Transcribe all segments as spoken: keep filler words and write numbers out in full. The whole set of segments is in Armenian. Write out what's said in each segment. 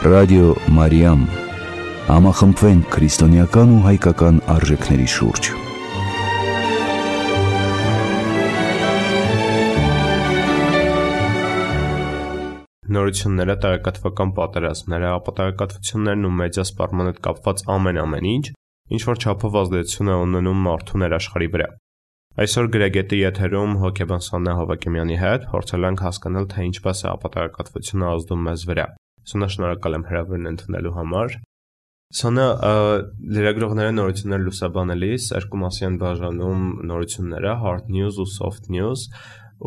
Ռադիո Մարիամ, համախմբվենք քրիստոնեական ու հայկական արժեքների շուրջ։ Նորությունները, տեղեկատվական պատերազմները, ապատակատվություններն ու մեդիա սպառման հետ կապված ամեն-ամեն ինչ, ինչ որ չափով ազդեցություն է ունենում մարդու ներաշխարհի վրա։ Այսօր Գրեգետի եթերում հոգեբան Սոնա Հովակիմյանի հետ փորձել ենք հասկանալ, թե ինչպես է ապատակատվությունը ազդում մեզ վրա։ Սոնա, շնորհակալ եմ հրավերն ընդունելու համար։ Սոնա, լրագրողները նորություններ լուսաբանելիս երկու մասի են բաժանում նորությունները, hard news ու soft news,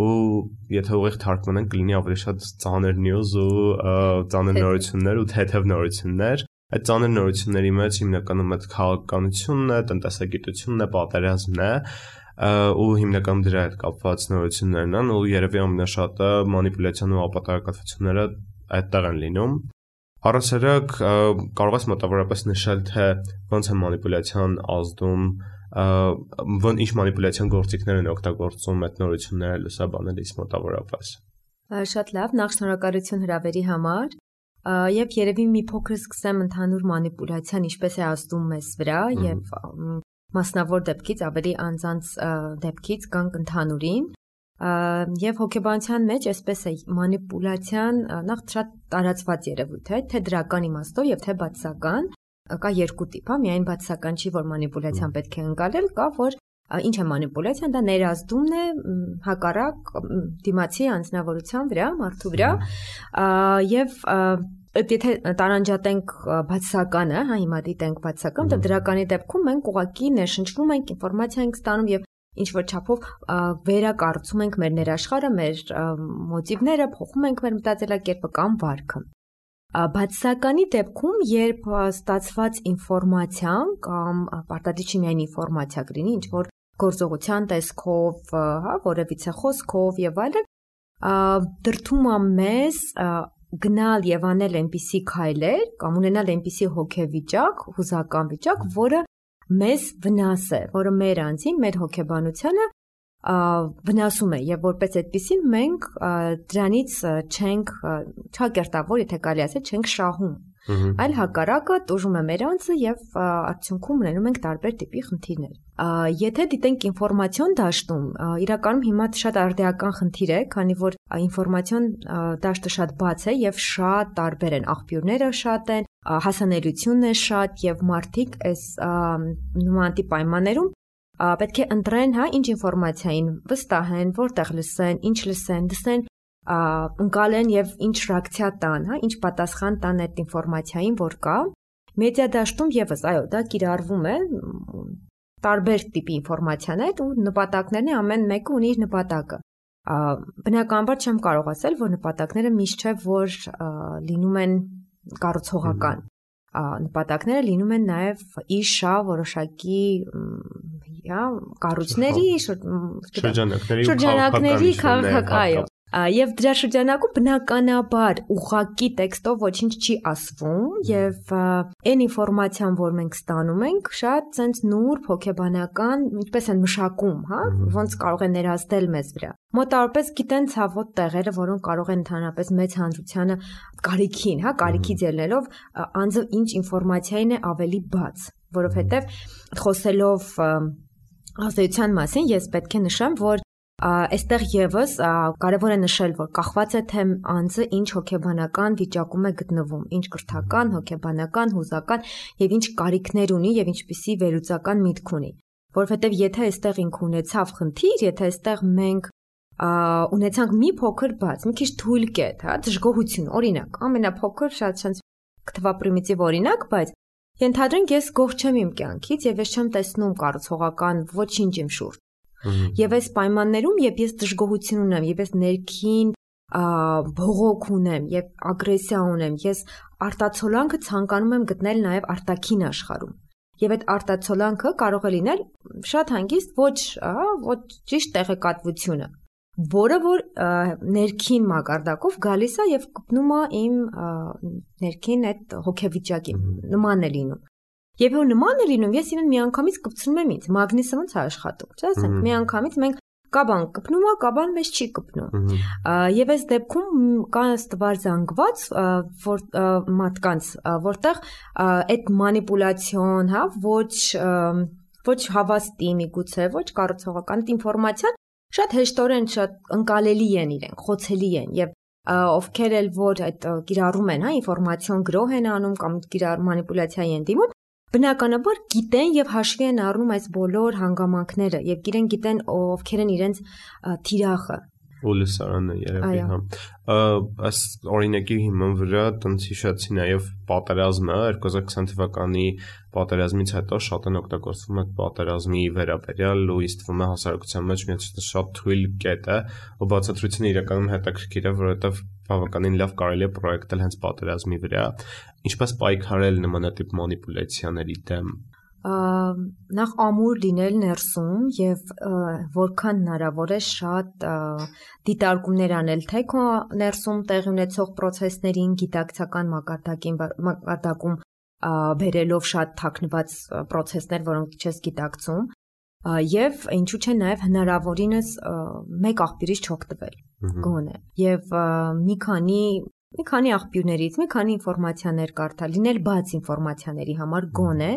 ու եթե ուղիղ թարգմանենք կլինի ավելի շատ ծանր news ու ծանր նորություններ ու թեթև նորություններ։ Այդ ծանր նորությունների մեջ հիմնականում այդ քաղաքականությունն է, տնտեսագիտությունն է, պատերազմն է, ու հիմնականում դրա հետ կապված նորություններն են, ու երևի ամենաշատը մանիպուլյացիան ու ապատակատվությունները այդտեղ են լինում։ Առասարակ կարող ես մոտավորապես նշել, թե ոնց է մանիպուլյացիան ազդում, ոնց ինչ մանիպուլյացիան գործիքներ են օգտագործում այդ նորությունները լուսաբանելիս մոտավորապես։ Շատ լավ, նախ շնորհակալություն հրավերի համար, եւ երևի մի փոքր սկսեմ ընդհանուր մանիպուլյացիան ինչպես է ազդում մեզ վրա եւ մասնավոր դեպքից ավելի անձանց դեպքից կանք ընդհանուրին, եւ հոգեբանության մեջ այսպես է մանիպուլյացիան նախ շատ տարածված երևույթ է, թե դրական իմաստով եւ թե բացասական, կա երկու տիպ, հա, միայն բացասական չի, որ մանիպուլյացիան պետք է ընկալել, կա որ ինչ է մանիպուլյացիան, դա ներազդումն է հակառակ դիմացի անձնավորության վրա, մարդու վրա, եւ եթե տարանջատենք բացասականը, հա, հիմա դիտենք բացասական, դա դրականի դեպքում մենք ուղղակի ներշնչվում ենք, ինֆորմացիա ենք ստանում եւ ինչ որ չափով վերակառուցում ենք մեր ներաշխարհը, մեր մոտիվները, փոխում ենք մեր մտածելակերպը կամ վարքը։ Բացասականի դեպքում, երբ ստացված ինֆորմացիան կամ պարտադիր չի միայն ինֆորմացիա կլինի, ինչ որ գործողության տեսքով, հա, որևիցե խոսքով եւ այլն, դրդում է մեզ գնալ եւ անել այնպիսի քայլեր կամ ունենալ այնպիսի հոգեվիճակ, հուզական վիճակ, որը մեզ վնաս է, որը մեր անձին, մեր հոգեբանությանը վնասում է եւ որպես այդպեսին մենք դրանից չենք չակերտավոր, եթե կարելի ասել, չենք շահում, այլ հակառակը տուժում է մեր անձը եւ արդյունքում ունենում ենք տարբեր տիպի խնդիրներ։ Եթե դիտենք ինֆորմացիոն դաշտում, իրականում հիմա շատ արդիական խնդիր է, քանի որ ինֆորմացիոն դաշտը շատ բաց է եւ շատ տարբեր են, աղբյուրները շատ են, հասանելիությունն է շատ եւ մարդիկ այս նման տիպ պայմաններում պետք է ընտրեն, հա, ինչ ինֆորմացիային վստահեն, որտեղ լսեն, ինչ լսեն, լսեն, ընկալեն եւ ինչ ռեակցիա տան, հա, ինչ պատասխան տան այդ ինֆորմացիային, որ կա։ Մեդիա դաշտում եւս, այո, դա կիրառվում է տարբեր տիպի ինֆորմացիաներ ու նպատակներն է, ամեն մեկը ունի իր նպատակը։ Բնականաբար չեմ կարող ասել, որ նպատակները միշտ չէ, որ լինում են կառուցողական։ Նպատակները լինում են նաև իշա որոշակի կառույցների, շրջանակների քաղաքական, եւ դրա շրջանակում բնականաբար ուղղակի տեքստով ոչինչ չի ասվում եւ այն ինֆորմացիան, որ մենք ստանում ենք, շատ ցենց նուրբ հոգեբանական, ինչպես են մշակում, հա, ոնց կարող է ներազդել մեզ վրա։ Մոտավորապես գիտեն ցավոտ տեղերը, որոնք կարող են ընդհանրապես մեծ հանրությանը կարիքին, հա, կարիքից ելնելով անձը ինչ ինֆորմացիային է ավելի բաց, որովհետեւ խոսելով ազդեցության մասին ես պետք է նշեմ, որ այստեղ եւս կարևոր է նշել, որ կախված է թե անձը ինչ հոգեբանական վիճակում է գտնվում, ինչ կրթական, հոգեբանական, հուզական եւ ինչ կարիքներ ունի եւ ինչպիսի վերլուծական միտք ունի, որովհետեւ եթե այստեղ ինքը ունեցավ խնդիր, եթե այստեղ մենք ունեցանք մի փոքր բաց, մի քիչ թույլ կետ, հա, դժգոհություն, օրինակ, ամենափոքր շատ շանս կթվա պրիմիտիվ օրինակ, բայց ենթադրենք ես գոհ չեմ իմ կյանքից եւ ես չեմ տեսնում կառուցողական ոչինչ իմ շուրջ։ Եվ այս պայմաններում, երբ ես դժգոհություն ունեմ, երբ ես ներքին բողոք ունեմ եւ ագրեսիա ունեմ, ես արտացոլանքը ցանկանում եմ գտնել նաեւ արտաքին աշխարհում։ Եվ այդ արտացոլանքը կարող է լինել շատ հանգիստ ոչ, ոչ ճիշտ տեղեկատվությունը, որը որ ներքին մակարդակով գալիս է եւ կպնում է իմ ներքին այդ հոգեվիճակի, նման է լինում։ Եվ որ նման է լինում, ես իրեն միանգամից կպցնում եմ ինձ, մագնիսը ոնց է աշխատում, չէ՞, ասենք, միանգամից մենք կա բան կպնում է, կա բան մեզ չի կպնում։ Եվ այս դեպքում կա ստվար զանգված, որ մարդկանց, որտեղ այդ մանիպուլյացիոն, հա, ոչ ոչ հավաստի միգուցե, ոչ կառուցողական ինֆորմացիան շատ հեշտորեն շատ ընկալելի են իրենք, խոցելի են եւ ովքեր էլ որ այդ կիրառում են, հա, ինֆորմացիոն գրող են անում կամ կիրառ մանիպուլյացիայի են դիմում, բնականաբար գիտեն եւ հաշվի են առնում այս բոլոր հանգամանքները եւ իրենք գիտեն ովքեր են իրենց թիրախը ու լսարանը երևի հա այս օրինակի հիման վրա տենց հիշեցի նաև պատերազմը երկու հազար քսան թվականի պատերազմից հետո շատ են օգտագործվում այդ պատերազմի վերաբերյալ ու իստվում է հասարակության մեջ մի շատ թույլ կետ է ու բացատրությունը իրականում հետաքրքիր է որովհետև բավականին լավ կարելի է պրոյեկտել հենց պատերազմի վրա ինչպես պայքարել նմանատիպ մանիպուլյացիաների դեմ նախ ամուր լինել ներսում եւ որքան հնարավոր է շատ դիտարկումներ անել թե քո ներսում տեղի ունեցող process-ներին գիտակցական մակարդակին մակարդակում բերելով շատ թաքնված process-ներ, որոնք չես գիտակցում եւ ինչու՞ չէ նաեւ հնարավորինս մեկ աղբյուրից չօգտվել գոնե եւ մի քանի մի քանի աղբյուրներից մի քանի ինֆորմացիաներ կարդալ, լինել բաց ինֆորմացիաների համար գոնե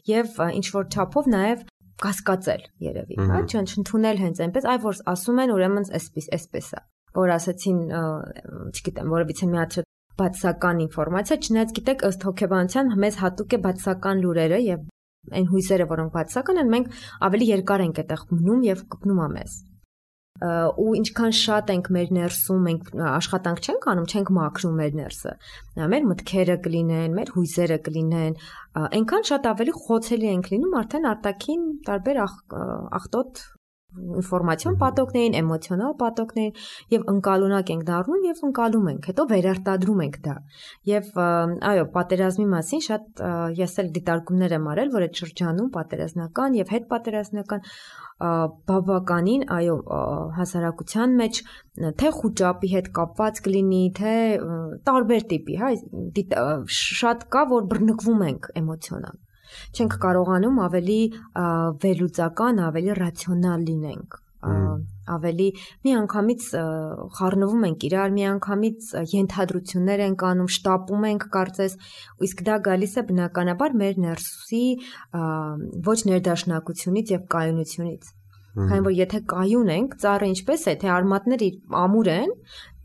Եվ ինչ որ չափով նաև կասկածել երևի, հա, չընդունել հենց այնպես, այ որ ասում են ուրեմն այսպես, այսպես է, որ ասացին, չգիտեմ, որովհետեւ մի հատ բացական ինֆորմացիա, չնայած գիտեք, ըստ հոգեբանության մեզ հատուկ է բացական լուրերը եւ այն հույսերը, որոնք բացական են, մենք ավելի երկար ենք այդտեղ մնում եւ կպնում է մեզ։ Ու ինչքան շատ ենք մեր ներսում, մենք աշխատանք չենք անում, չենք մաքրում մեր ներսը։ Մեր մտքերը կլինեն, մեր հույզերը կլինեն, այնքան շատ ավելի խոցելի ենք լինում արդեն արտաքին տարբեր աղտոտ ինֆորմացիոն պատոկներին, էմոցիոնալ պատոկներին եւ ընկալունակ ենք դառնում եւ ընկալում ենք, հետո վերարտադրում ենք դա։ Եվ այո, պատերազմի մասին շատ ես էլ դիտարկումներ եմ արել, որ այդ շրջանում պատերազմական եւ հետպատերազմական բավականին, այո, հասարակության մեջ թե խոճապի հետ կապված կլինի, թե տարբեր տիպի, հա, շատ կա, որ բռնկվում ենք էմոցիոնալ։ Չենք կարողանում ավելի վերլուծական, ավելի ռացիոնալ լինենք, ավելի միանգամից խառնվում ենք իրար, միանգամից ենթադրություններ ենք անում, շտապում ենք կարծես, իսկ դա գալիս է բնականաբար մեր ներսի ոչ ներդաշնակությունից եւ կայունությունից։ Քանի որ եթե կայուն ենք, ծառը ինչպես է, թե արմատները ամուր են,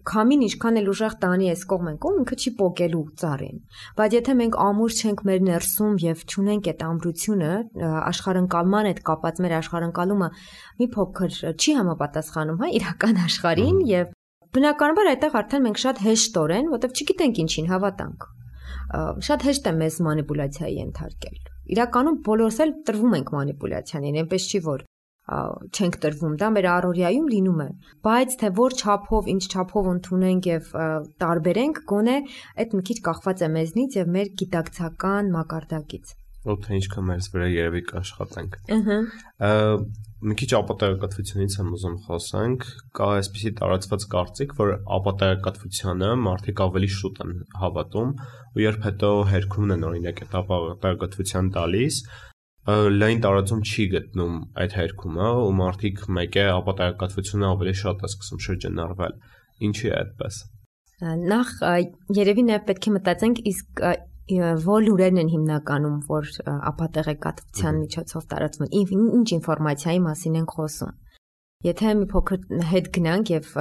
Քամին ինչքան էլ ուժեղ տանի այս կողմ են կողմ, ինքը չի պոկելու ծառին։ Բայց եթե մենք ամուր չենք մեր ներսում եւ չունենք այդ ամրությունը, աշխարհընկալման հետ կապած մեր աշխարհընկալումը մի փոքր չի համապատասխանում, հա, իրական աշխարհին եւ բնականաբար այդտեղ արդեն մենք շատ հեշտորեն, որտեվ չգիտենք ինչին հավատանք։ Շատ հեշտ է մեզ մանիպուլյացիայի ենթարկել։ Իրականում բոլորս էլ տրվում ենք մանիպուլյացիային, այնպես չի որ չենք տրվում, դա մեր առօրյայում լինում է, բայց թե որ չափով, ինչ չափով ընդունենք եւ տարբերենք, գոնե այդ մի քիչ կախված է մեզնից եւ մեր գիտակցական մակարդակից։ Ու թե ինչքան մեզ վրա երևի կաշխատենք։ Ահա։ Մի քիչ ապատեգատվությունից եմ ուզում խոսանք, կա այսպիսի տարածված կարծիք, որ ապատեգատվությանը մարդիկ ավելի շուտ են հավատում, ու երբ հետո հերքում են օրինակ այդ ապատեգատվության տալիս, լայն տարածում չի գտնում այդ հերքումը ու մարդիկ մեկ է ապատեգատվությունը ավելի շատ է սկսում շրջանառվել։ Ինչի է այդպես։ Նախ երևի նաև պետք է մտածենք իսկ որ լուրերն են հիմնականում, որ ապատեգատվության միջոցով տարածվում են, ինչ ինֆորմացիայի մասին ենք խոսում։ Եթե մի փոքր հետ գնանք եւ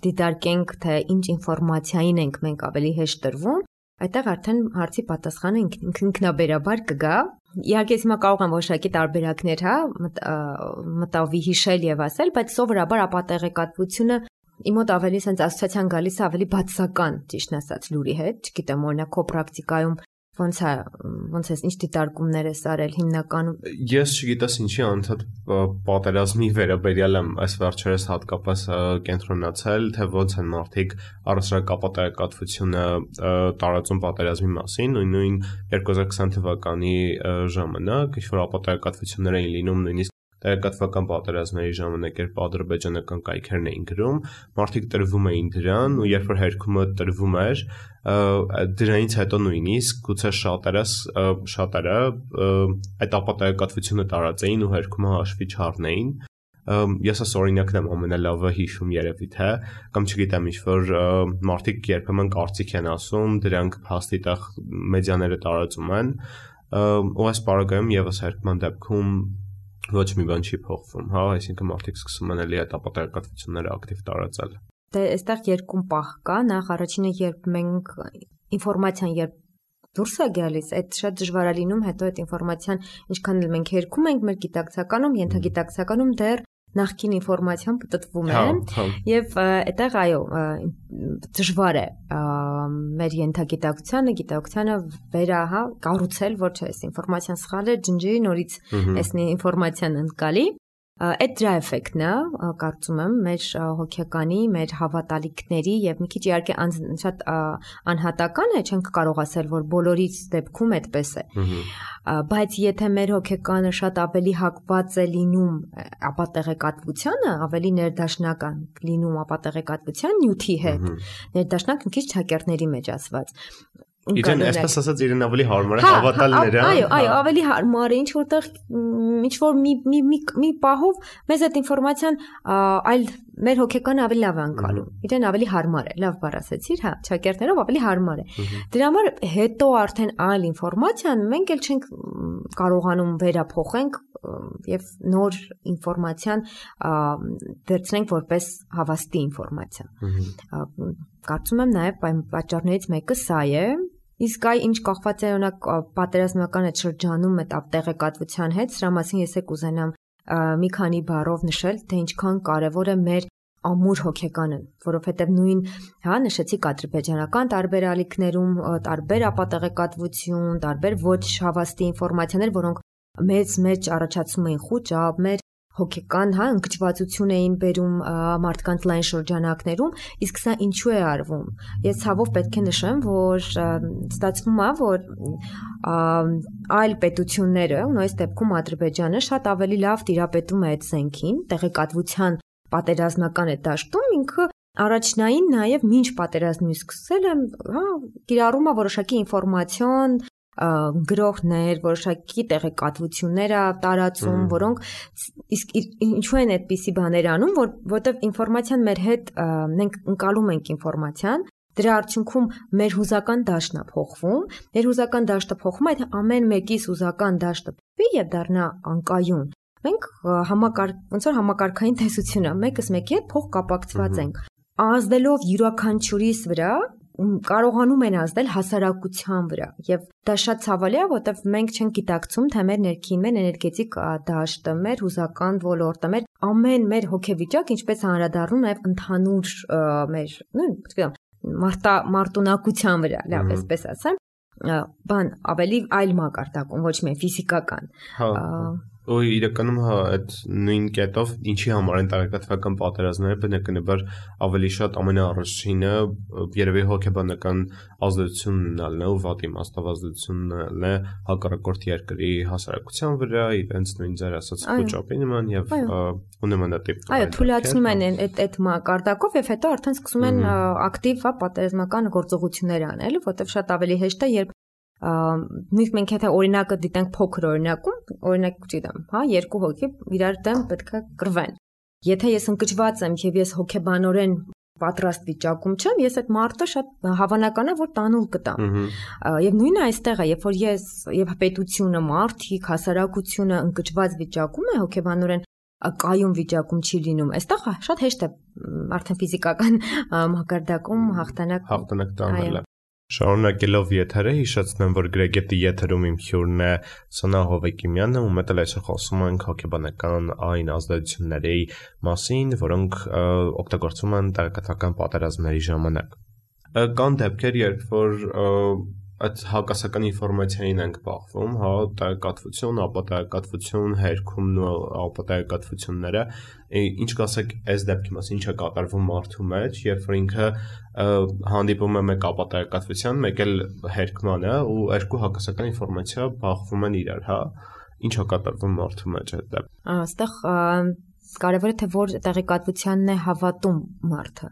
դիտարկենք, թե ինչ ինֆորմացիային ենք մենք ավելի հեշտ տրվում, այդտեղ արդեն հարցի պատասխանը ինքնաբերաբար կգա։ Իհարկե հիմա կարող եմ որոշակի տարբերակներ, հա, մտավի հիշել եւ ասել, բայց սովորաբար ապատեգատվությունը իմ մոտ ավելի sense ասոցիացիան գալիս է ավելի բացական, ճիշտն ասած, լուրի հետ, չգիտեմ, օրինակ քո պրակտիկայում ոնց է, ոնց է, ինչ դիտարկումներ ես արել հիմնականում։ Ես չգիտես ինչի անդադ պատերազմի վերաբերյալ եմ այս վերջերս հատկապես կենտրոնացել, թե ոնց են մարդիկ առհասարակ ապատեգատվությունը տարածում պատերազմի մասին, նույն երկու հազար քսան թվականի ժամանակ, ինչ որ ապատեգատվություններ էին լինում նույնիսկ տեղեկատվական պատերազմների ժամանակ երբ ադրբեջանական կայքերն էին գրում, մարդիկ տրվում էին դրան ու երբ որ հերքումը տրվում էր, դրանից հետո նույնիսկ գուցե շատերը շատերը այդ ապատեգատվությունը տարածեին ու հերքումը հաշվի չառնեին, ես այս օրինակն եմ ամենալավը հիշում երևի թե կամ չգիտեմ ինչ որ մարդիկ երբեմն կարծիք են ասում, դրանք հաստիտեղ մեդիաները տարածում են, ու այս պարագայում եւս հերկման դեպքում ոչ մի բան չի փոխվում, հա, այսինքն մարդիկ սկսում են էլի այդ ապատակատվությունները ակտիվ տարածել։ Դե այստեղ երկու պահ կա, նախ առաջինը երբ մենք ինֆորմացիան երբ դուրս է գալիս, այդ շատ դժվար է լինում, հետո այդ ինֆորմացիան ինչքան էլ մենք հերքում ենք մեր գիտակցականում, ենթագիտակցականում դեռ նախքին ինֆորմացիան պատտվում է եւ այդտեղ այո դժվար է մեր ենթագիտակցությանը, գիտակցությանը վերա, հա, կառուցել, որ չէ, այս ինֆորմացիան սխալ է, ջնջի նորից այսնի ինֆորմացիան ընկալի։ Այդ դրա էֆեկտն է, կարծում եմ, մեր հոգեկանի, մեր հավատալիքների եւ մի քիչ իհարկե շատ անհատական է, չենք կարող ասել, որ բոլորից դեպքում այդպես է։ Բայց եթե մեր հոգեկանը շատ ավելի հակված է լինում ապատեղեկատվությանը, ավելի ներդաշնական լինում ապատեղեկատվության նյութի հետ, ներդաշնակ մի քիչ ճակերտների մեջ ասված։ Իրեն այսպես ասած իրեն ավելի հարմար է հավատալները։ Այո, այո, ավելի հարմար է, ինչ որտեղ ինչ որ մի մի մի պահով մեզ այդ ինֆորմացիան այլ մեր հոգեկանը ավելի լավ է անցալու։ Իրեն ավելի հարմար է, լավ բառ ասեցիր, հա, ճակերտներով ավելի հարմար է։ Դրա համար հետո արդեն այլ ինֆորմացիան մենք էլ չենք կարողանում վերափոխենք եւ նոր ինֆորմացիան վերցնենք որպես հավաստի ինֆորմացիա։ Կարծում եմ նաեւ պատճառներից մեկը սա է։ Իսկ այ ինչ կախված է օրինակ պատերազմական այդ շրջանում այդ ապտեղեկատվության հետ, սրա մասին ես եք ուզենամ մի քանի բառով նշել, թե ինչքան կարևոր է մեր ամուր հոգեկանը, որովհետև նույն, հա, նշեցիք ադրբեջանական տարբեր ալիքներում տարբեր ապատեղեկատվություն, տարբեր ոչ հավաստի ինֆորմացիաներ, որոնք մեծ մեջ առաջացնում էին խոճապ, մեր հոգեկան, հա, ընկճվածություն էին բերում մարդկանց լայն շրջանակներում, իսկ սա ինչու է արվում։ Ես ցավով պետք է նշեմ, որ ստացվում է, որ այլ պետությունները, ու այս դեպքում Ադրբեջանը շատ ավելի լավ տիրապետում է այդ զենքին, տեղեկատվության պատերազմական այդ դաշտում ինքը առաջնային նաև մինչ պատերազմի սկսել է, հա, կիրառում է որոշակի ինֆորմացիոն գրողներ, որոշակի տեղեկատվություններ է տարածում, որոնք իսկ ինչու են այդպիսի բաներ անում, որ որտեվ ինֆորմացիան մեր հետ մենք ընկալում ենք ինֆորմացիան, դրա արդյունքում մեր հուզական դաշտն է փոխվում, մեր հուզական դաշտը փոխվում, այդ ամեն մեկից հուզական դաշտը փոխվի եւ դառնա անկայուն։ Մենք համակարգ, ոնց որ համակարգային տեսություն է, մեկս մեկի հետ փոխ կապակցված ենք։ Ազդելով յուրաքանչյուրիս վրա կարողանում են ազդել հասարակության վրա եւ դա շատ ցավալի է, որտեվ մենք չենք գիտակցում, թե մեր ներքին, մեր էներգետիկ դաշտը, մեր հուզական ոլորտը, մեր ամեն մեր հոգեվիճակ ինչպես անդրադառնում նաեւ ընդհանուր մեր, նույն, չգիտեմ, մարտա մարտունակության վրա, լավ, այսպես ասեմ, բան ավելի այլ մակարդակում, ոչ միայն ֆիզիկական։ Հա։ Ու իրականում հա այդ նույն կետով ինչի համար են տարեկատվական պատերազմները բնականաբար ավելի շատ ամենաառաջինը երևի հոգեբանական ազդեցություն ունենալն է ու վատի մաստավազդեցություն ունենալն է հակառակորդ երկրի հասարակության վրա, իրենց նույն ձեր ասած խոճապի նման եւ ու նմանատիպ։ Այո, թույլատնում են այդ այդ մակարդակով եւ հետո արդեն սկսում են ակտիվ հա պատերազմական գործողություններ անել, որտեվ շատ ավելի հեշտ է, երբ նույնիսկ մենք եթե օրինակը դիտենք փոքր օրինակում, օրինակ չգիտեմ, հա, երկու հոգի իրար դեմ պետքա կռվեն։ Եթե ես ընկճված եմ եւ ես հոգեբանորեն պատրաստ վիճակում չեմ, ես այդ մարդը շատ հավանական է, որ տանուլ կտամ։ Եվ նույնը այստեղ է, երբ որ ես եւ պետությունը, մարդիկ, հասարակությունը ընկճված վիճակում է, հոգեբանորեն կայուն վիճակում չի լինում։ Այստեղ շատ հեշտ է արդեն ֆիզիկական մակարդակում հաղթանակ հաղթանակ տանելը։ Շարունակելով եթերը հիշեցնեմ, որ Գրեգետի եթերում իմ հյուրն է Սոնա Հովեկիմյանը, ու մենք այսօր խոսում ենք հոգեբանական այն ազդեցությունների մասին, որոնք օգտագործվում են տեղեկատվական պատերազմների ժամանակ։ Կան դեպքեր, երբ որ այդ հակասական ինֆորմացիային ենք բախվում, հա, տեղեկատվություն, ապատեղեկատվություն, հերքումն ու ապատեղեկատվությունները, ինչ կասեք այս դեպքի մասին, ինչ է կատարվում մարդու մեջ, երբ որ ինքը հանդիպում է մեկ ապատեղեկատվության, մեկ էլ հերքմանը ու երկու հակասական ինֆորմացիա բախվում են իրար, հա, ինչ է կատարվում մարդու մեջ այդ դեպքում։ Այստեղ կարևորը թե որ տեղեկատվությանն է հավատում մարդը,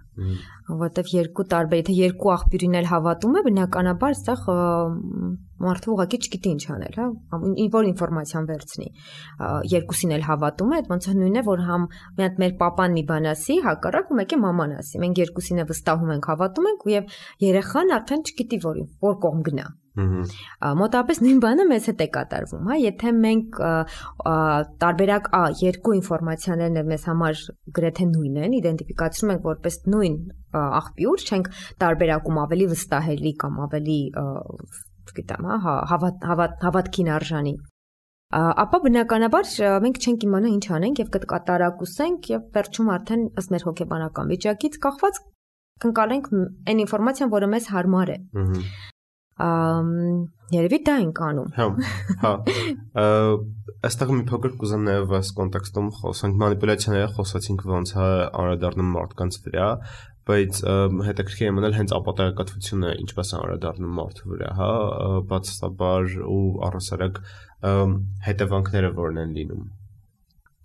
որովհետև երկու տարբեր, եթե երկու աղբյուրին էլ հավատում է, բնականաբար այստեղ մարդը ուղղակի չգիտի ինչ անել, հա, որ ինֆորմացիան վերցնի։ Երկուսին էլ հավատում է, ոնց է նույնն է, որ համ մի հատ մեր papan մի բան ասի, հակառակ ու մեկը մաման ասի։ Մենք երկուսին էլ վստահում ենք, հավատում ենք, եւ երեխան արդեն չգիտի որ որ կողմ գնա։ Մոտավորապես նույն բանը մեզ հետ է կատարվում, հա, եթե մենք տարբերակ ա երկու ինֆորմացիաներն մեզ համար գրեթե նույն են, իդենտիֆիկացնում ենք որպես նույն աղբյուր, չենք տարբերակում ավելի վստահելի կամ ավելի, չգիտեմ, հա, հավատքին արժանի, ապա բնականաբար մենք չենք իմանա ինչ անենք եւ կկատարակուսենք եւ վերջում արդեն ըստ մեր հոգեբանական վիճակից կախված կընկալենք այն ինֆորմացիան, որը մեզ հարմար է։ Երևի դա ենք անում։ Հա, հա։ Այստեղ մի փոքր կուզեմ նաև այս կոնտեքստում խոսենք մանիպուլյացիաները, խոսացինք ոնց է անդրադառնում մարդկանց վրա, բայց հետաքրքիր է մնել հենց ապատեղեկատվությունը ինչպես է անդրադառնում մարդու վրա, հա, բացասաբար ու առհասարակ հետևանքները որն են լինում։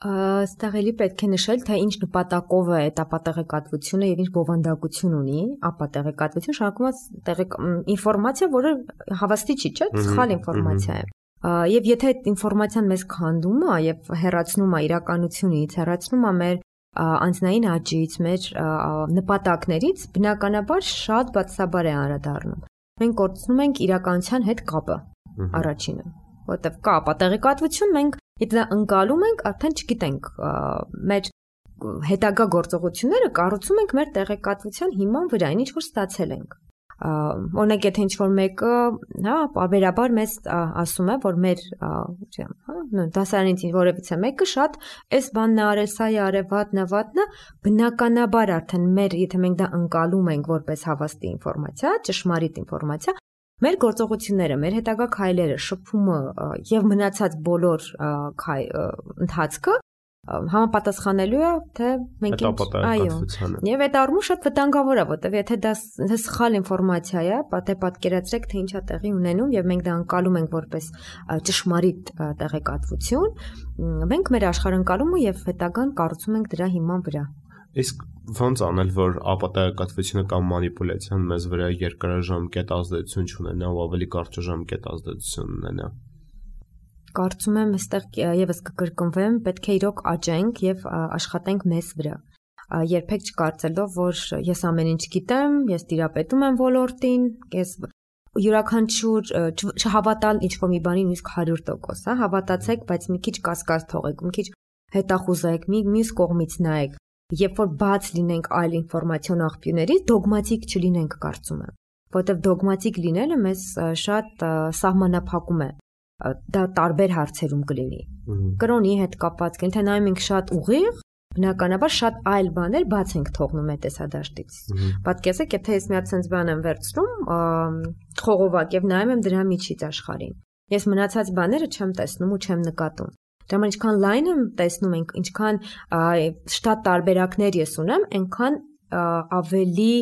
Այստեղ էլի պետք է նշել, թե ինչ նպատակով է այդ ապատեղեկատվությունը եւ ինչ բովանդակություն ունի ապատեղեկատվություն, շարունակված ինֆորմացիա, որը հավաստի չի, չէ՞, սխալ ինֆորմացիա է։ Եվ եթե այդ ինֆորմացիան մեզ քանդում է եւ հեռացնում է իրականությունից, հեռացնում է մեր անձնային աճից, մեր նպատակներից, բնականաբար շատ բացասաբար է անդրադառնում։ Մենք կորցնում ենք իրականության հետ կապը առաջինը, որտեղ կա ապատեղեկատվություն, մենք եթե դա ընկալում ենք, արդեն չգիտենք մեր հետագա գործողությունները կառուցում ենք մեր տեղեկատվության հիման վրա, ինչ որ ստացել ենք։ Օրինակ եթե ինչ-որ մեկը, հա, պարբերաբար մեզ ասում է, որ մեր, չեմ, հա, դասարանից որևիցե մեկը շատ էս բանն է արել, սա է արել, վատն է, վատն է, բնականաբար արդեն մեր, եթե մենք դա ընկալում ենք որպես հավաստի ինֆորմացիա, ճշմարիտ ինֆորմացիա, մեր գործողությունները, մեր հետագա քայլերը, շփումը եւ մնացած բոլոր ընթացքը համապատասխանելու է թե մենք այո, եւ այդ առումով շատ վտանգավոր է, որտեւ եթե դա սխալ ինֆորմացիա է, պատե պատկերացրեք թե ինչ է տեղի ունենում եւ մենք դա անցալում ենք որպես ճշմարիտ տեղեկատվություն, մենք մեր աշխարհընկալումը եւ հետագան կառուցում ենք դրա հիման վրա։ Իսկ ոնց անել, որ ապատեղեկատվությունը կամ մանիպուլյացիան մեզ վրա երկարաժամկետ ազդեցություն չունենա ու ավելի կարճաժամկետ ազդեցություն ունենա։ Կարծում եմ, այստեղ եւս կկրկնվեմ, պետք է իրոք աճենք եւ աշխատենք մեզ վրա։ Երբեք չկարծելով, որ ես ամեն ինչ գիտեմ, ես տիրապետում եմ ոլորտին, ես յուրաքանչյուր չհավատալ ինչ-որ մի բանի նույնիսկ հարյուր տոկոս, հա, հավատացեք, բայց մի քիչ կասկած թողեք, մի քիչ հետախուզեք, մի մյուս կողմից նայեք։ Երբ որ բաց լինենք այլ ինֆորմացիոն աղբյուրներից, դոգմատիկ չլինենք, կարծում եմ, որովհետև դոգմատիկ լինելը մեզ շատ սահմանափակում է, դա տարբեր հարցերում կլինի։ Կրոնի հետ կապված, եթե նայում ենք շատ ուղիղ, բնականաբար շատ այլ բաներ բաց ենք թողնում այդ տեսադաշտից։ Պատկերացրեք, եթե ես մի հատ sense բան եմ վերցնում, խողովակ եւ նայում եմ դրա միջից աշխարհին։ Ես մնացած բաները չեմ տեսնում ու չեմ նկատում։ Դրա ինչքան լայն եմ տեսնում ենք, ինչքան շատ տարբերակներ ես ունեմ, այնքան ավելի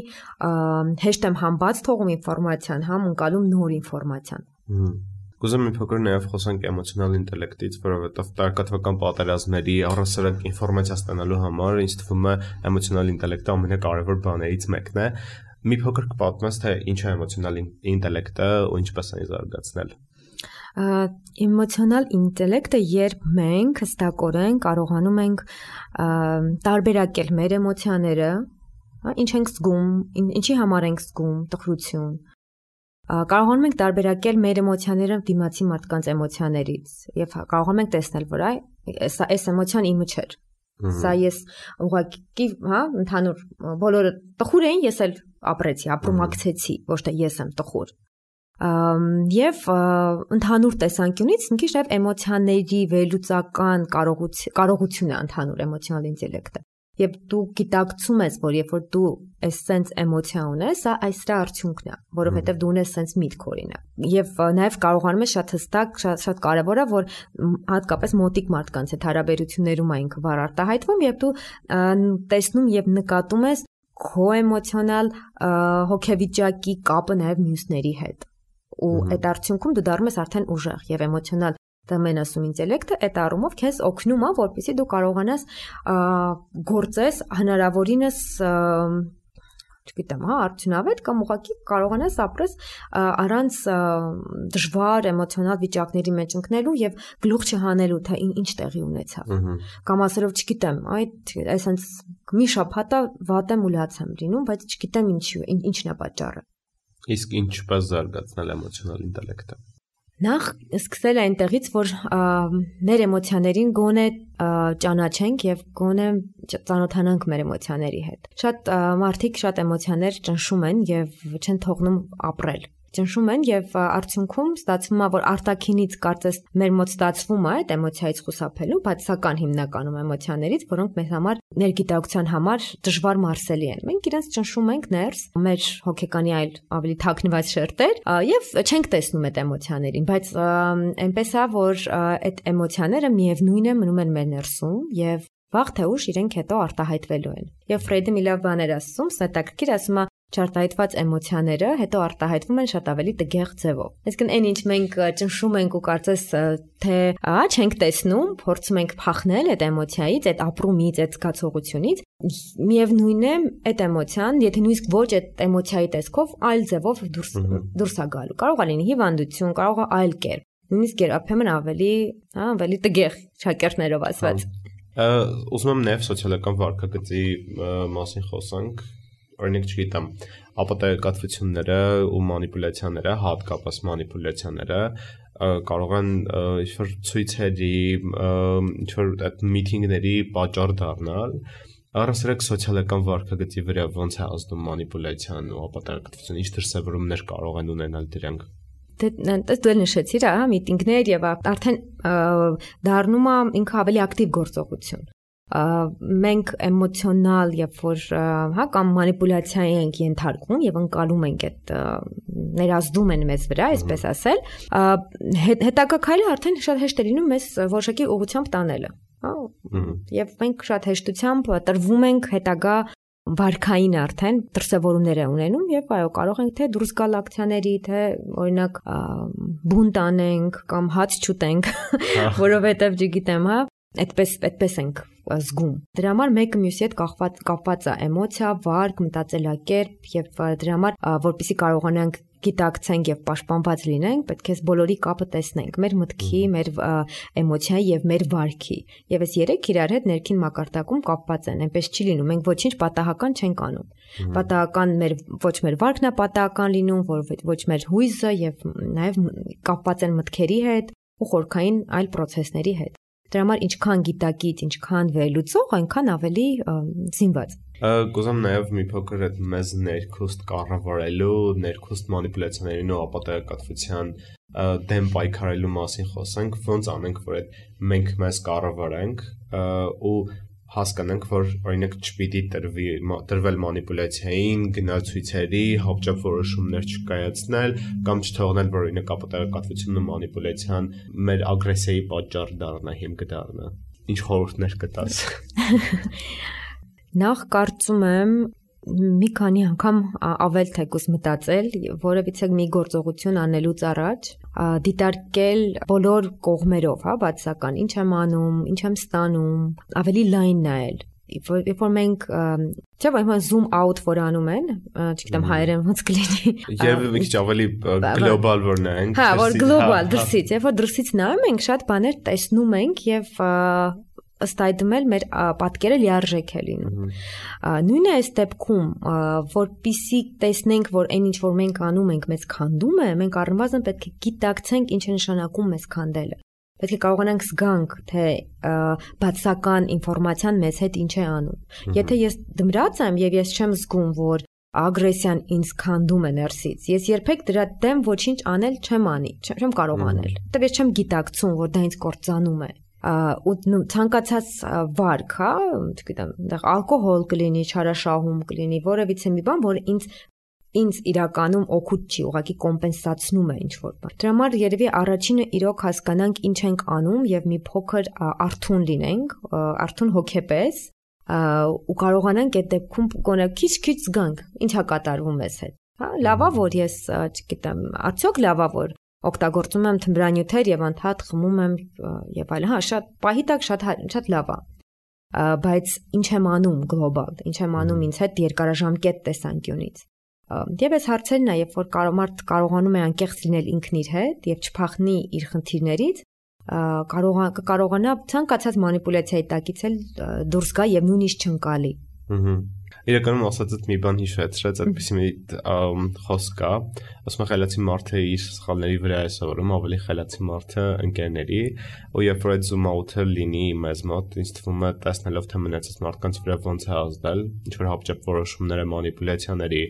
հեշտ եմ համ բաց թողում ինֆորմացիան, համ ընկալում նոր ինֆորմացիան։ Կուզեմ մի փոքր նաև խոսանք էմոցիոնալ ինտելեկտից, որովհետև տեղեկատվական պատերազմների առհասարակ ինֆորմացիա ստանալու համար ինձ թվում է էմոցիոնալ ինտելեկտը ամենակարևոր բաներից մեկն է։ Մի փոքր կպատմես, թե ինչ է էմոցիոնալ ինտելեկտը ու ինչպես այն զարգացնել։ Էմոցիոնալ ինտելեկտը, երբ մենք հստակորեն կարողանում ենք տարբերակել մեր էմոցիաները, ինչ ենք զգում, ինչի համար ենք զգում, տխրություն, կարողանում ենք տարբերակել մեր էմոցիաները դիմացի մարդկանց էմոցիաներից եւ կարողանում ենք տեսնել, որ այ այս էմոցիան իմը չէր։ Սա ես ուղղակի, հա, ընդհանուր բոլորը տխուր էին, ես էլ ապրեցի, ապրումակցեցի, ոչ թե ես եմ տխուր։ Եվ ընդհանուր տեսանկյունից մի քիչ նաև էմոցիաների վերլուծական կարողություն է ընդհանուր էմոցիոնալ ինտելեկտը։ Եվ դու գիտակցում ես, որ երբ որ դու այս sense էմոցիա ունես, սա այս դրա արդյունքն է, որովհետև դու ունես sense միտք օրինակ։ Եվ նաև կարողանում ես շատ հստակ, շատ շատ կարևոր է, որ հատկապես մոտիկ մարդկանց հետ հարաբերություններում այն վառ արտահայտվում, եւ դու տեսնում եւ նկատում ես քո էմոցիոնալ հոգեվիճակի կապը նաև մյուսների հետ։ Ու այդ արդյունքում դու դառնում ես արդեն ուժեղ եւ էմոցիոնալ մենասում ինտելեկտը այդ առումով քեզ օգնում է, որպեսզի դու կարողանաս գործես հնարավորինս չգիտեմ, հա, արդյունավետ կամ ուղղակի կարողանաս ապրես առանց դժվար էմոցիոնալ վիճակների մեջ ընկնելու եւ գլուխ չհանելու, թե ինչ տեղի ունեցավ։ Կամ ասելով, չգիտեմ, այդ այսպես մի շաբաթա վատ եմ ու լաց եմ լինում, բայց չգիտեմ ինչու, ինչն է պատճառը։ Իսկ ինչպես զարգացնել էմոցիոնալ ինտելեկտը։ Նախ սկսել այնտեղից, որ մեր էմոցիաներին գոնե ճանաչենք եւ գոնե ծանոթանանք մեր էմոցիաների հետ։ Շատ մարդիկ շատ էմոցիաներ ճնշում են եւ չեն թողնում ապրել։ Ճնշում են եւ արդյունքում ստացվում է, որ արտաքինից կարծես մեր մոտ ստացվում է այդ էմոցիայից խուսափելու, բացական հիմնականում էմոցիաներից, որոնք մեզ համար ներգիտակցության համար դժվար մարսելի են։ Մենք իրենց ճնշում ենք ներս, մեր հոգեկանի այլ ավելի թաքնված շերտեր եւ չենք տեսնում այդ էմոցիաներին, բայց այնպես է, որ այդ էմոցիաները միևնույն է մնում են մեր ներսում եւ վաղ թե ուշ իրենք հետո արտահայտվելու են։ Եվ Ֆրեյդը մի լավ բան էր ասում, ստակրկիր ասում է չարտահայտված էմոցիաները հետո արտահայտվում են շատ ավելի տգեղ ձևով։ Այսինքն այն ինչ մենք ճնշում ենք ու կարծես թե ա չենք տեսնում, փորձում ենք փախնել այդ էմոցիայից, այդ ապրումից, այդ զգացողությունից, միևնույն է այդ էմոցիան, եթե նույնիսկ ոչ այդ էմոցիայի տեսքով, այլ ձևով դուրս դուրս է գալու։ Կարող է լինի հիվանդություն, կարող է այլ կերպ։ Նույնիսկ երբեմն ավելի, հա, ավելի տգեղ շակերտներով ասված։ Ուզում եմ նաև սոցիալական վարքագծի մասին խոսանք։ Օրինակ, չգիտեմ, ապատեգատվությունները ու մանիպուլյացիաները, հատկապես մանիպուլյացիաները կարող են ինչ-որ ցույցերի, ինչ-որ այդ միտինգների պատճառ դառնալ։ Առասարակ սոցիալական վարքագծի վրա ոնց է ազդում մանիպուլյացիան ու ապատեգատվությունը, ինչ դրսևորումներ կարող են ունենալ դրանք։ Դες դու նշեցիր, հա, միտինգներ եւ արդեն դառնում է ինքը ավելի ակտիվ գործողություն։ Մենք էմոցիոնալ եւ որ հա կամ մանիպուլյացիայի ենք ենթարկվում եւ անցալում ենք այդ ներազդում են մեզ վրա, այսպես ասել, հետագա քայլը արդեն շատ հեշտ է լինում մեզ որոշակի ուղղությամբ տանելը, հա, եւ մենք շատ հեշտությամբ տրվում ենք հետագա վարքային արդեն դրսևորումներ է ունենում եւ այո կարող ենք թե դուրս գալ ակցիաների, թե օրինակ բունտ անենք կամ հաց չուտենք, որովհետեւ չգիտեմ, հա, այդպես այդպես ենք զգում։ Դրա համար մեկը մյուսի հետ կապված կապված է էմոցիա, վարք, մտածելակերպ եւ դրա համար որպեսզի կարողանանք գիտակցենք եւ պաշտպանված լինենք, պետք է բոլորի կապը տեսնենք, մեր մտքի, մեր էմոցիայի եւ մեր վարքի։ Եվ այս երեք իրար հետ ներքին մակարդակում կապված են, այնպես չի լինում, մենք ոչինչ պատահական չենք անում։ Պատահական մեր ոչ մեր վարքն է պատահական լինում, որ ոչ մեր հույզը եւ նաեւ կապված են մտքերի հետ ու խորքային այլ process-ների հետ։ Դրա համար ինչքան գիտակից, ինչքան վերլուծող, այնքան ավելի զինված։ Կուզեմ նաև մի փոքր այդ մեզ ներքուստ կառավարելու, ներքուստ մանիպուլյացիաներին ու ապատեգատվության դեմ պայքարելու մասին խոսենք, ոնց անենք, որ այդ մենք մեզ կառավարենք ու հասկանանք, որ օրինակ չպիտի տրվի տրվել մանիպուլյացիային, գնալ ցույցերի, հապճապ որոշումներ չկայացնել կամ չթողնել, որ օրինակ ապատեգատվությունն ու մանիպուլյացիան մեր ագրեսիայի պատճառ դառնա, հիմք դառնա։ Ինչ խորհուրդներ կտաս։ Նախ կարծում եմ մի քանի անգամ ավել թեկուս մտածել, որևիցե մի գործողություն անելուց առաջ դիտարկել բոլոր կողմերով, հա, բացական, ինչ եմ անում, ինչ եմ ստանում, ավելի լայն նայել։ Երբ որ մենք, չէ՞ որ zoom out որ անում են, չգիտեմ հայերեն ոնց կլինի։ Եվ մի քիչ ավելի գլոբալ որ նայենք։ Հա, որ գլոբալ դրսից, երբ որ դրսից նայում ենք, շատ բաներ տեսնում ենք եւ ըստ այդմ էլ մեր պատկերը լիարժեք է լինում։ Նույնը այս դեպքում, որպեսզի տեսնենք, որ այն ինչ որ մենք անում ենք, մեզ քանդում է, մենք առնվազն պետք է գիտակցենք ինչ է նշանակում մեզ քանդելը։ Պետք է կարողանանք զգանք, թե բացական ինֆորմացիան մեզ հետ ինչ է անում։ Եթե ես դմրած եմ եւ ես չեմ զգում, որ ագրեսիան ինձ քանդում է ներսից, ես երբեք դրա դեմ ոչինչ անել չեմ անի, չեմ կարող անել։ Որտեւ ես չեմ գիտակցում, որ դա ինձ կործանում է։ Ու ցանկացած վարք, հա, չգիտեմ, այնտեղ ալկոհոլ կլինի, չարաշահում կլինի, որևիցե մի բան, որը ինձ ինձ իրականում օգուտ չի, ուղղակի կոմպենսացնում է ինչ-որ բան։ Դրա համար երևի առաջինը իրոք հասկանանք ինչ ենք անում եւ մի փոքր արթուն լինենք, արթուն հոգեպես, ու կարողանանք այդ դեպքում գոնե քիչ-քիչ զգանք, ինչա կատարվում մեզ հետ։ Հա, լավա որ ես, չգիտեմ, արդյոք լավա որ օգտագործում եմ թմրանյութեր եւ անդադ խմում եմ եւ այլն, հա, շատ պահի տակ շատ շատ լավ է։ Բայց ինչ եմ անում գլոբալ, ինչ եմ անում ինձ հետ երկարաժամկետ տեսանկյունից։ Եվ այս հարցերն է, երբ որ մարդ կարողանում է անկեղծ լինել ինքն իր հետ եւ չփախնի իր խնդիրներից, կարողանա ցանկացած մանիպուլյացիայի տակից էլ դուրս գա եւ նույնիսկ չընկալի։ Իրականում ասածդ մի բան հիշեցրեց, այդպիսի մի խոսք կա, ասում է խելացի մարդը իր սխալների վրա է սովորում, ավելի խելացի մարդը ընկերների, ու երբ որ այդ zoom out-ը լինի մեզ մոտ, ինձ թվում է տեսնելով թե մնացած մարդկանց վրա ոնց է ազդել, ինչ որ հապճեպ որոշումները, մանիպուլյացիաների,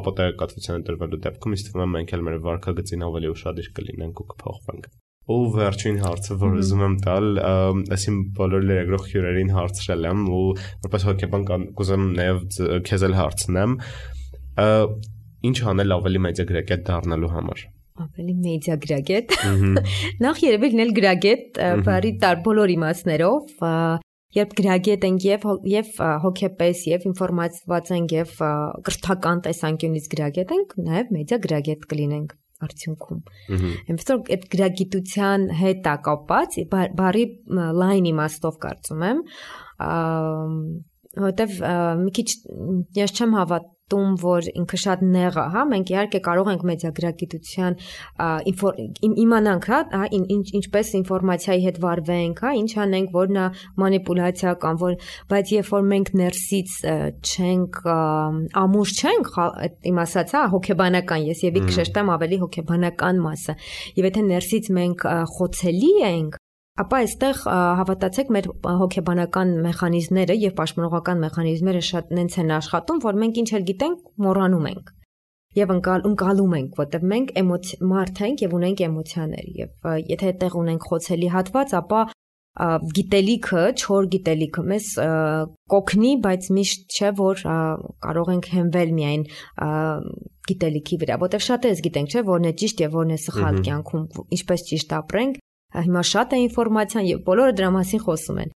ապոտայակատվությանը տրվելու դեպքում ինձ թվում է մենք էլ մեր վարքագծին ավելի ուշադիր կլինենք ու կփոխվենք։ Ու վերջին հարցը, որ ուզում եմ տալ, այսին բոլոր լրագրող հյուրերին հարցրել եմ ու որպես հոգեբան կուզեմ նաև քեզ էլ հարցնեմ, ինչ անել ավելի մեդիագրագետ դառնալու համար։ Ավելի մեդիագրագետ։ Նախ երևի լինել գրագետ, բարի տար բոլոր իմաստներով, երբ գրագետ ենք եւ եւ հոգեպես եւ ինֆորմացված ենք եւ կրթական տեսանկյունից գրագետ ենք, նաև մեդիագրագետ կլինենք արդյունքում։ Այնպես որ այդ գրագիտության հետ է կապված, բարի լայն իմաստով կարծում եմ, որովհետև մի քիչ ես չեմ հավատում, որ ինքը շատ նեղ է, հա, մենք իհարկե կարող ենք մեդիագրագիտության իմանանք, հա, ինչպես ինֆորմացիայի հետ վարվենք, հա, ինչ անենք, որ նա մանիպուլյացիա կամ որ, բայց երբ որ մենք ներսից չենք ամուր չենք, այդ իմ ասած, հա, հոգեբանական, ես եւի կշեշտեմ ավելի հոգեբանական մասը, եւ եթե ներսից մենք խոցելի ենք, ապա այստեղ հավատացեք մեր հոգեբանական մեխանիզմները եւ պաշտպանողական մեխանիզմները շատ նենց են աշխատում, որ մենք ինչ էլ գիտենք, մոռանում ենք եւ ընկալում ենք, որտեղ մենք մարդ ենք եւ ունենք էմոցիաներ եւ եթե այդտեղ ունենք խոցելի հատված, ապա գիտելիքը, չոր գիտելիքը մեզ կօգնի, բայց միշտ չէ որ կարող ենք հենվել միայն գիտելիքի վրա, որտեղ շատերս գիտենք, չէ, որն է ճիշտ եւ որն է սխալ կյանքում, ինչպես ճիշտ ապրենք։ Հիմա շատ է ինֆորմացիան եւ բոլորը դրա մասին խոսում են,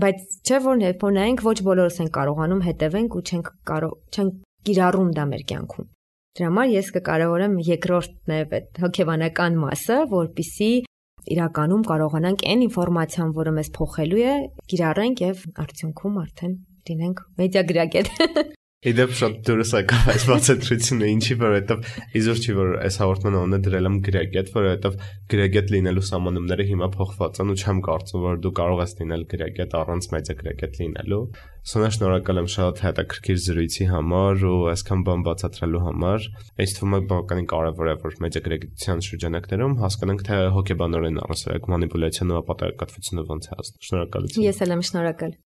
բայց չէ որ երբ որ նայենք ոչ բոլորս են կարողանում հետևենք ու չենք կարող չենք կիրառում դա մեր կյանքում։ Դրա համար ես կկարևորեմ երկրորդն է այդ հոգեբանական մասը, որպեսզի իրականում կարողանանք այն ինֆորմացիան, որը մեզ փոխելու է, կիրառենք եւ արդյունքում արդեն լինենք մեդիագրագետ։ Իդեպ շատ դուրս եկավ այս բացատրությունը, ինչի որովհետև իզուր չի որ այս հաղորդման անունը դրել եմ գրագետ, որովհետև գրագետ լինելու սահմանումները հիմա փոխված են ու չեմ կարծում որ դու կարող ես լինել գրագետ առանց մեդիագրագետ լինելու։ Սոնա շնորհակալ եմ շատ հետաքրքիր զրույցի համար ու այսքան բան բացատրելու համար։ Այս թվում է բավականին կարևոր է որ մեդիագրագիտության շրջանակներում հասկանանք թե հոգեբանորեն առասարակ մանիպուլյացիան ու ապատակատվությունը ոնց է ազդում։ Շնորհակալություն։ Ես էլ եմ շնորհակալ։